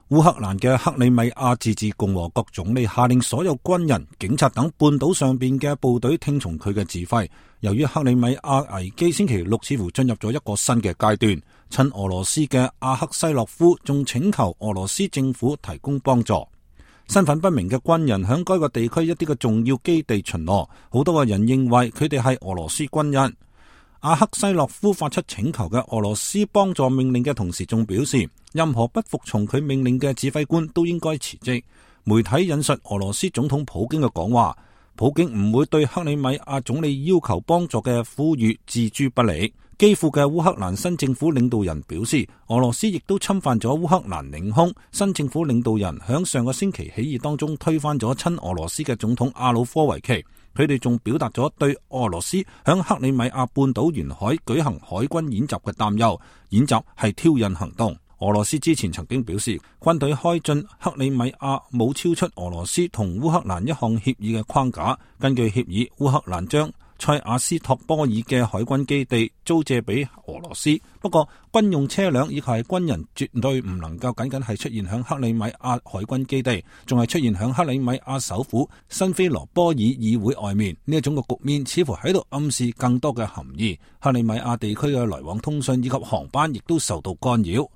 烏克蘭嘅克里米亞自治共和國總理下令所有軍人、警察等半島上邊嘅部隊聽從佢嘅指揮。由於克里米亞危機星期六似乎進入咗一個新嘅階段，親俄羅斯嘅阿克西洛夫仲請求俄羅斯政府提供幫助。身份不明嘅軍人響該個地區一啲嘅重要基地巡邏，好多嘅人認為佢哋係俄羅斯軍人。阿克西洛夫發出請求嘅俄羅斯幫助命令嘅同時，仲表示任何不服從佢命令嘅指揮官都應該辭職。媒體引述俄羅斯總統普京嘅講話，普京唔會對克里米亞總理要求幫助嘅呼籲置諸不理。基輔嘅烏克蘭新政府領導人表示，俄羅斯亦都侵犯咗烏克蘭領空。新政府領導人響上個星期起義當中推翻咗親俄羅斯嘅總統亞努科維奇。佢哋仲表達咗對俄羅斯響克里米亞半島沿海舉行海軍演習嘅擔憂，演習係挑釁行動。俄羅斯之前曾經表示，軍隊開進克里米亞冇超出俄羅斯同烏克蘭一項協議嘅框架。根據協議，烏克蘭將塞瓦斯托波爾嘅海軍基地租借俾俄羅斯，不過軍用車輛以及係軍人絕對唔能夠僅僅係出現響克里米亞海軍基地，仲係出現響克里米亞首府辛菲羅波爾議會外面。呢一種嘅局面似乎喺度暗示更多嘅含義。克里米亞地區嘅來往通訊以及航班亦都受到干擾。